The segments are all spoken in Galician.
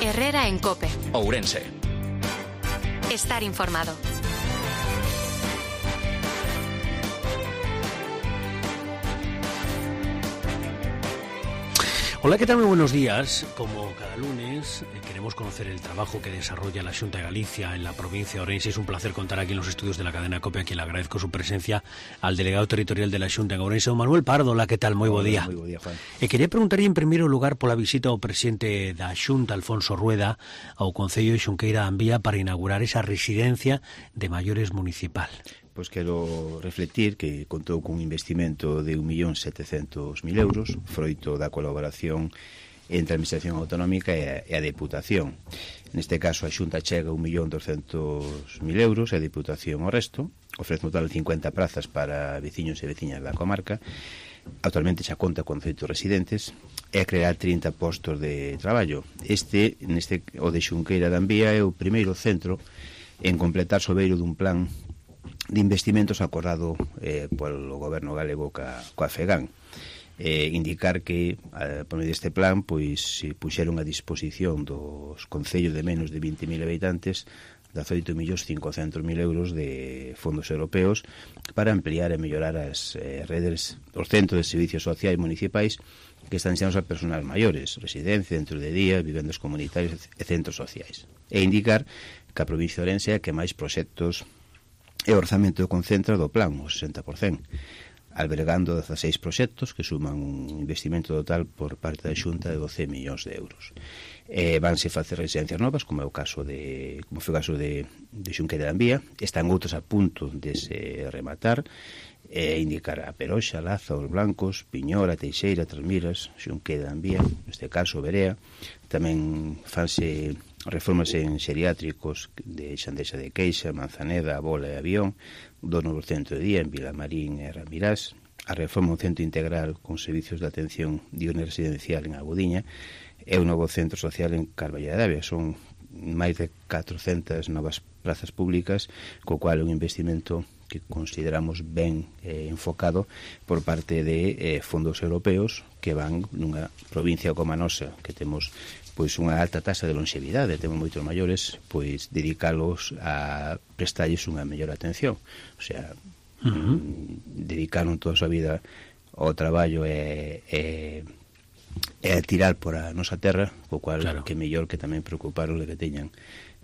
Herrera en COPE. Ourense. Estar informado. Hola, ¿qué tal? Muy buenos días. Como cada lunes queremos conocer el trabajo que desarrolla la Xunta de Galicia en la provincia de Ourense. Es un placer contar aquí en los estudios de la cadena COPE, a quien le agradezco su presencia, al delegado territorial de la Xunta en Ourense, don Manuel Pardo. Hola, ¿qué tal? Moi bo día. Moi bo día, Juan. Quería preguntar en primeiro lugar pola visita ao presidente da Xunta, Alfonso Rueda, ao Concello de Xunqueira de Ambía para inaugurar esa residencia de maiores municipal. Pois quero reflectir que contou cun investimento de 1.700.000 euros, froito da colaboración entre a Administración Autonómica e a Deputación. Neste caso, a Xunta chega 1.200.000 euros e a Deputación o resto. Ofrece un total de 50 prazas para veciños e veciñas da comarca. Actualmente xa conta con 100 residentes e a crear 30 postos de traballo. O de Xunqueira de Ambía é o primeiro centro en completar sobeiro dun plan de investimentos acordado polo goberno galego coa FEGAN. Indicar que por medio deste plan pois se puxeron a disposición dos concellos de menos de 20.000 habitantes 18.500.000 euros de fondos europeos para ampliar e mellorar as redes, os centros de servicios sociais municipais que están destinados a personas maiores, residencia, centros de día, vivendas comunitarias e centros sociais. E indicar que a provincia de Ourense é que máis proxectos e o orzamento concentra do plan, o 60%, albergando 16 proxectos que suman un investimento total por parte da Xunta de 12 millóns de euros. Vanse facer residencias novas, como foi o caso de Xunqueira de Ambía. Están outros a punto de se rematar, indicar a Peroxa, Laza, Os Blancos, Piñora, Teixeira, Trasmiras, Xunqueira de Ambía, neste caso Berea. Tamén fanse reformas en xeriátricos de Xandeixa de Queixa, Manzaneda, Bola e Avión, do novo centro de día en Vilamarín e Ramirás, a reforma un centro integral con servicios de atención diurna residencial en Agudiña e un novo centro social en Carballo de Avia. Son máis de 400 novas plazas públicas, co cual é un investimento que consideramos ben enfocado por parte de fondos europeos que van nunha provincia como a nosa, que temos pois unha alta taxa de longevidade, temos moitos maiores, pois dedicalos a prestarlles unha mellor atención. O sea, dedicaron toda a súa vida ao traballo e a tirar por a nosa terra, co cual claro, que mellor que tamén preocuparon de que teñan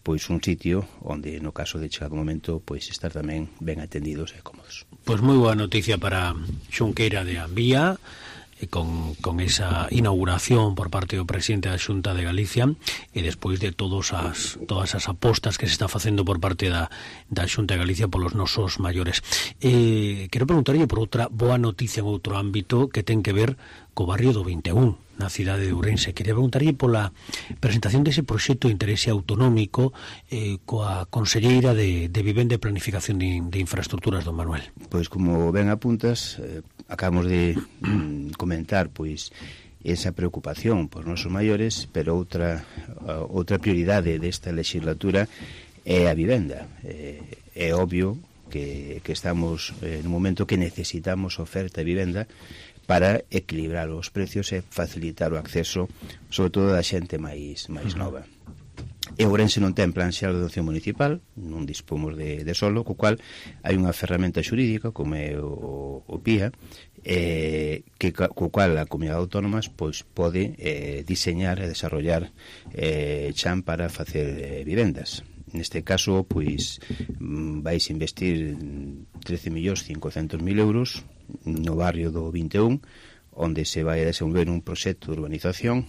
pois un sitio onde no caso de chegado o momento pois estar tamén ben atendidos e cómodos. Pois moi boa noticia para Xunqueira de Ambía, con esa inauguración por parte do presidente da Xunta de Galicia e despois de todas as apostas que se está facendo por parte da Xunta de Galicia polos nosos maiores. Quero preguntarlle por outra boa noticia en outro ámbito que ten que ver co barrio do 21 na cidade de Ourense. Quería preguntarlle pola presentación dese proxecto de interese autonómico coa Conselleira de Vivenda e Planificación de Infraestructuras, don Manuel. Pois como ben apuntas, acabamos de comentar pois esa preocupación por nosos maiores, pero outra prioridade desta legislatura é a vivenda. É obvio que estamos nun momento que necesitamos oferta de vivenda para equilibrar os precios e facilitar o acceso, sobre todo da xente máis nova. E Ourense non ten plan xeral de ordenación municipal, non dispomos de solo, co cual hai unha ferramenta xurídica como é o PIA, co cual a comunidade autónomas pois pode diseñar e desarrollar chan para facer vivendas. Neste caso, pois vais investir 13.500.000 euros no barrio do 21, onde se vai a desenvolver un proxecto de urbanización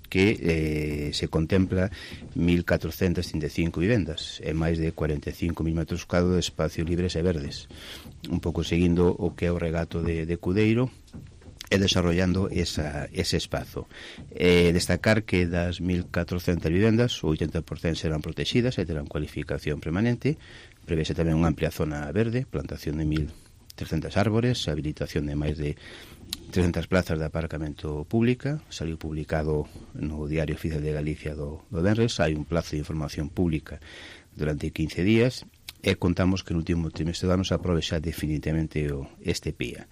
que se contempla 1.435 vivendas e máis de 45.000 metros cuadrados de espacios libres e verdes, un pouco seguindo o que é o regato de Cudeiro e desarrollando ese espazo. Destacar que das 1.400 vivendas, o 80% serán protegidas e terán cualificación permanente. Prevese tamén unha amplia zona verde, plantación de 1.300 árbores, habilitación de máis de 300 plazas de aparcamento pública. Saliu publicado no Diario Oficial de Galicia do Venres. Hai un plazo de información pública durante 15 días e contamos que no último trimestre do ano se aprobe xa definitivamente este PIA.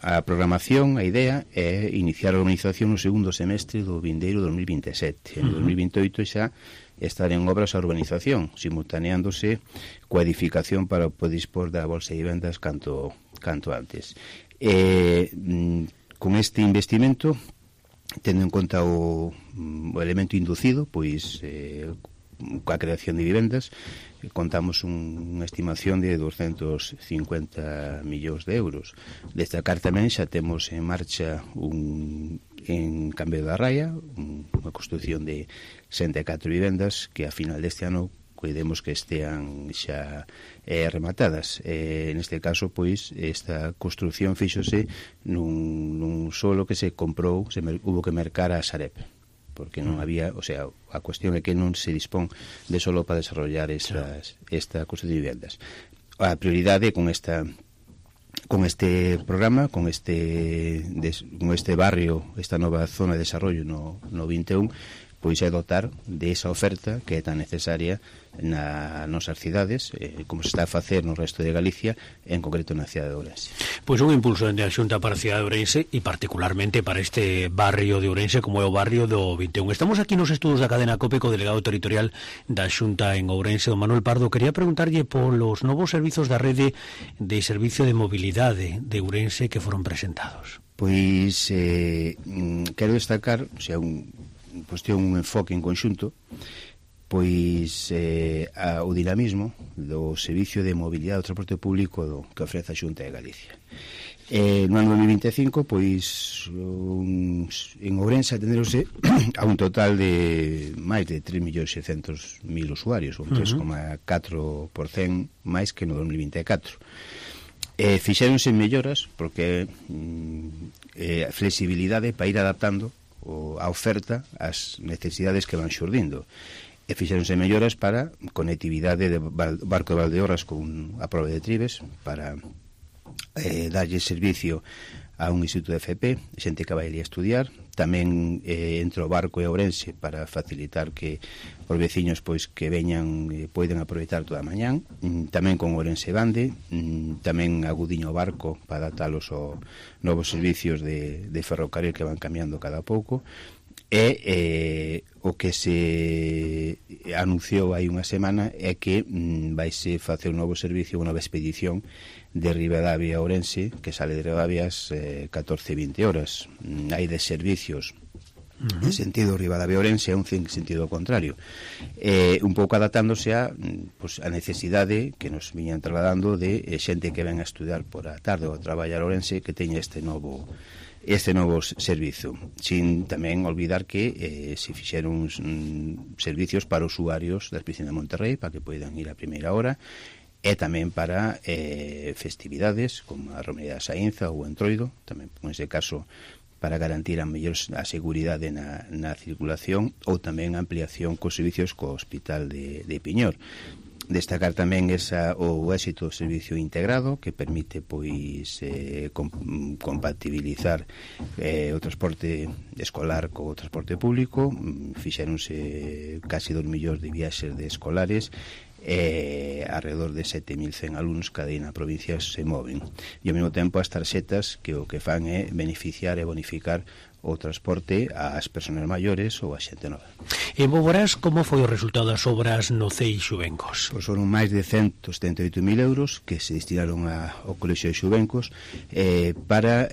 a programación, a idea é iniciar a urbanización no segundo semestre do vindeiro 2027. En 2028 xa estar en obras a urbanización, simultaneándose coa edificación para poder dispor da bolsa de vivendas canto antes. Con este investimento, tendo en conta o elemento inducido, pois coa creación de vivendas, contamos unha estimación de 250 millóns de euros. Destacar tamén xa temos en marcha en Cambio da Raia unha construción de 64 vivendas que a final deste ano cuidemos que estean xa rematadas. Neste caso, pois, esta construción fíxose nun solo que se comprou, hubo que mercar a Sareb, porque non había, o sea, a cuestión é que non se dispón de solo para desarrollar esta construción de vivendas. A prioridade con este programa, con este barrio, esta nova zona de desarrollo no 21, pois é dotar de esa oferta que é tan necesaria nas nosas cidades, como se está a facer no resto de Galicia, en concreto na cidade de Ourense. Pois un impulso dende a Xunta para a cidade de Ourense e particularmente para este barrio de Ourense como é o barrio do 21. Estamos aquí nos estudos da cadena COPE co delegado territorial da Xunta en Ourense, don Manuel Pardo. Quería preguntarlle polos novos servizos da rede de servicio de mobilidade de Ourense que foron presentados. Pois quero destacar, o sea, un enfoque en conxunto, pois o dinamismo do servicio de mobilidade do transporte público que ofrece a Xunta de Galicia. No ano 2025, pois en Ourense atenderose a un total de máis de 3.600.000 usuarios, un 3,4% máis que no 2024. Fixéronse melloras porque a flexibilidade para ir adaptando a oferta ás necesidades que van xurdindo. E fixéronse melloras para conectividade de Barco de Valdeorras con a prova de Tribes para darlle servicio a un instituto de FP, xente que vai ali a estudiar. Tamén entre o Barco e Ourense para facilitar que os veciños pois que veñan poden aproveitar toda a mañán. Tamén con Ourense Bande, tamén agudiño o Barco para adaptalos aos novos servicios de ferrocarril que van cambiando cada pouco. E o que se anunciou hai unha semana é que vaise facer un novo servicio, unha nova expedición de Ribadavia a Ourense, que sale de Ribadavia ás 14:20 horas. Hai de servicios en sentido Ribadavia-Ourense e un sentido contrario, un pouco adaptándose a necesidade que nos viñan trasladando de xente que ven a estudiar por a tarde ou a traballar a Ourense, que teña este novo servizo, sin tamén olvidar que se fixeron servicios para usuarios da piscina de Monterrey para que poidan ir a primeira hora, e tamén para festividades como a Romería da Saínza ou o Entroido, tamén en ese caso para garantir a mellor a seguridade na circulación, ou tamén a ampliación cos servicios co Hospital de Piñor. Destacar tamén o éxito do servicio integrado que permite pois compatibilizar o transporte escolar co transporte público. Fixéronse casi 2 millóns de viaxes de escolares, alrededor de 7.100 alumnos cada día na provincia se moven, e ao mesmo tempo as tarxetas que o que fan é beneficiar e bonificar o transporte ás persoas maiores ou a xente nova. En Boborás, como foi o resultado das obras no CEI Xuvencos? Pois foron máis de 178.000 euros que se destinaron ao Colexio de Xuvencos para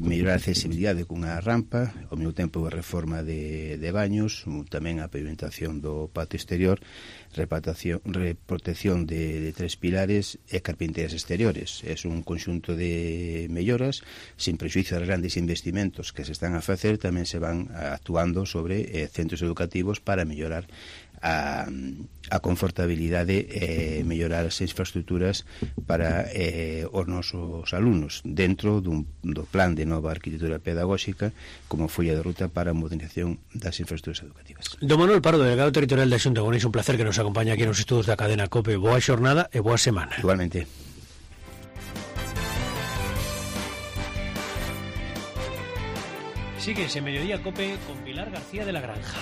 mellorar a accesibilidade cunha rampa, ao mesmo tempo a reforma de baños, tamén a pavimentación do patio exterior, reprotección de 3 pilares e carpinterías exteriores. É un conxunto de melloras sin prexuizo dos grandes investimentos que se están a facer. Tamén se van actuando sobre centros educativos para mellorar a confortabilidade e mellorar as infraestructuras para os nosos alumnos dentro do plan de nova arquitectura pedagóxica como folla de ruta para a modernización das infraestructuras educativas. Don Manuel Pardo, delegado territorial da Xunta de Ourense, un placer que nos acompaña aquí nos estudos da cadena COPE. Boa xornada e boa semana. Igualmente. Síguese Mediodía COPE con Pilar García de la Granja.